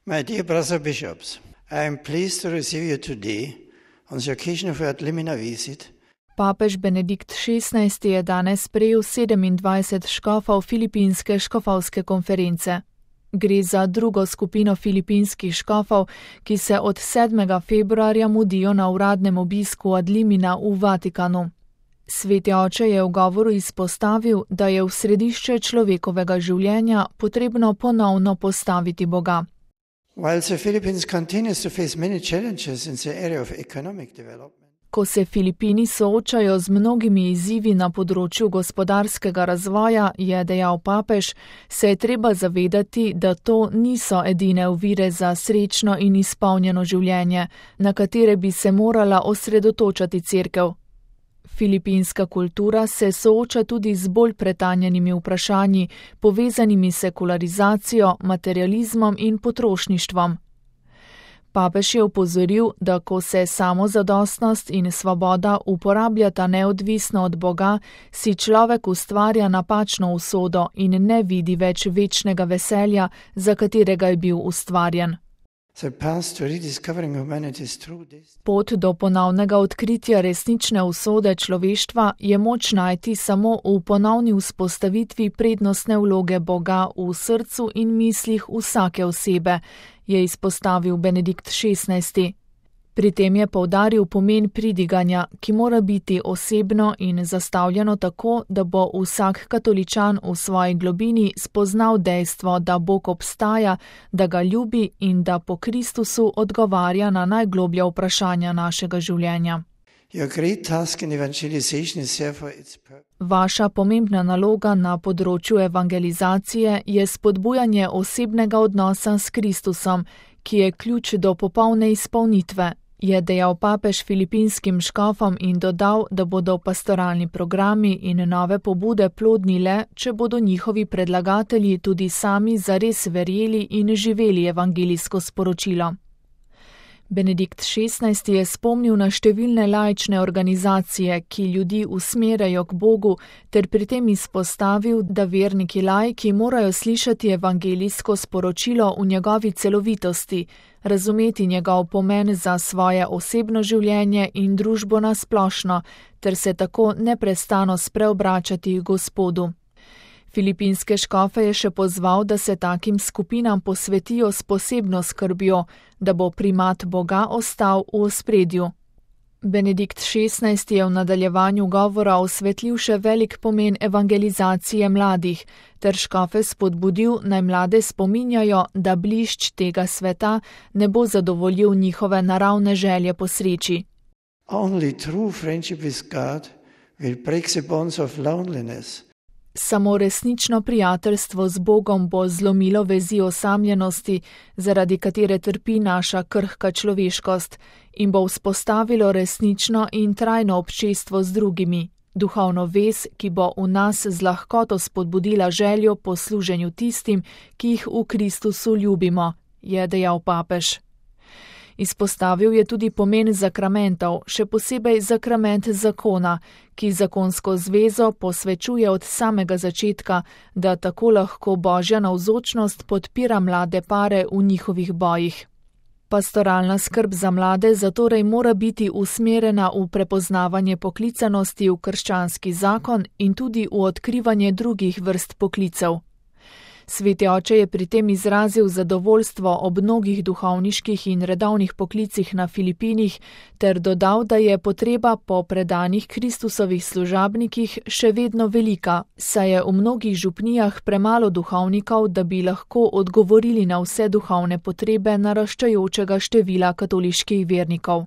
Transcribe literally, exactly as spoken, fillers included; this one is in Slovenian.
My dear brother bishops, I am pleased to receive you today on the occasion of your Limina visit. Papež Benedikt šestnajsti je danes sprejel sedemindvajset škofov filipinske škofovske konference. Gre za drugo skupino filipinskih škofov, ki se od sedmega februarja mudijo na uradnem obisku ad limina v Vatikanu. Sveti oče je v govoru izpostavil, da je v središče človekovega življenja potrebno ponovno postaviti Boga. While the Philippines continues to face many challenges in the area of economic development, Ko se Filipini soočajo z mnogimi izzivi na področju gospodarskega razvoja, je dejal papež, se je treba zavedati, da to niso edine ovire za srečno in izpolnjeno življenje, na katere bi se morala osredotočati cerkev. Filipinska kultura se sooča tudi z bolj pretanjenimi vprašanji, povezanimi s sekularizacijo, materializmom in potrošništvom. Papež je opozoril, da ko se samozadostnost in svoboda uporabljata neodvisno od Boga, si človek ustvarja napačno usodo in ne vidi več večnega veselja, za katerega je bil ustvarjen. Pot do ponovnega odkritja resnične usode človeštva je moč najti samo v ponovni vzpostavitvi prednostne vloge Boga v srcu in mislih vsake osebe, je izpostavil Benedikt šestnajsti. Pri tem je poudaril pomen pridiganja, ki mora biti osebno in zastavljeno tako, da bo vsak katoličan v svoji globini spoznal dejstvo, da Bog obstaja, da ga ljubi in da po Kristusu odgovarja na najgloblja vprašanja našega življenja. Vaša pomembna naloga na področju evangelizacije je spodbujanje osebnega odnosa s Kristusom, ki je ključ do popolne izpolnitve, je dejal papež filipinskim škofom in dodal, da bodo pastoralni programi in nove pobude plodni le, če bodo njihovi predlagatelji tudi sami zares verjeli in živeli evangelijsko sporočilo. Benedikt šestnajsti je spomnil na številne laične organizacije, ki ljudi usmerjajo k Bogu, ter pri tem izpostavil, da verniki laiki morajo slišati evangelijsko sporočilo v njegovi celovitosti, razumeti njegov pomen za svoje osebno življenje in družbo na splošno, ter se tako neprestano spreobračati Gospodu. Filipinske škofe je še pozval, da se takim skupinam posvetijo s posebno skrbjo, da bo primat Boga ostal v ospredju. Benedikt šestnajsti je v nadaljevanju govora osvetlil še velik pomen evangelizacije mladih, ter škofe spodbudil, naj mlade spominjajo, da blišč tega sveta ne bo zadovoljil njihove naravne želje po sreči. Only true friendship with God will break the bonds of loneliness. Samo resnično prijateljstvo z Bogom bo zlomilo vezi osamljenosti, zaradi katere trpi naša krhka človeškost, in bo vzpostavilo resnično in trajno občestvo z drugimi, duhovno vez, ki bo v nas z lahkoto spodbudila željo po služenju tistim, ki jih v Kristusu ljubimo, je dejal papež. Izpostavil je tudi pomen zakramentov, še posebej zakrament zakona, ki zakonsko zvezo posvečuje od samega začetka, da tako lahko Božja navzočnost podpira mlade pare v njihovih bojih. Pastoralna skrb za mlade zatorej mora biti usmerjena v prepoznavanje poklicanosti v krščanski zakon in tudi v odkrivanje drugih vrst poklicev. Sveti oče je pri tem izrazil zadovoljstvo ob mnogih duhovniških in redovnih poklicih na Filipinih ter dodal, da je potreba po predanih Kristusovih služabnikih še vedno velika, saj je v mnogih župnijah premalo duhovnikov, da bi lahko odgovorili na vse duhovne potrebe naraščajočega števila katoliških vernikov.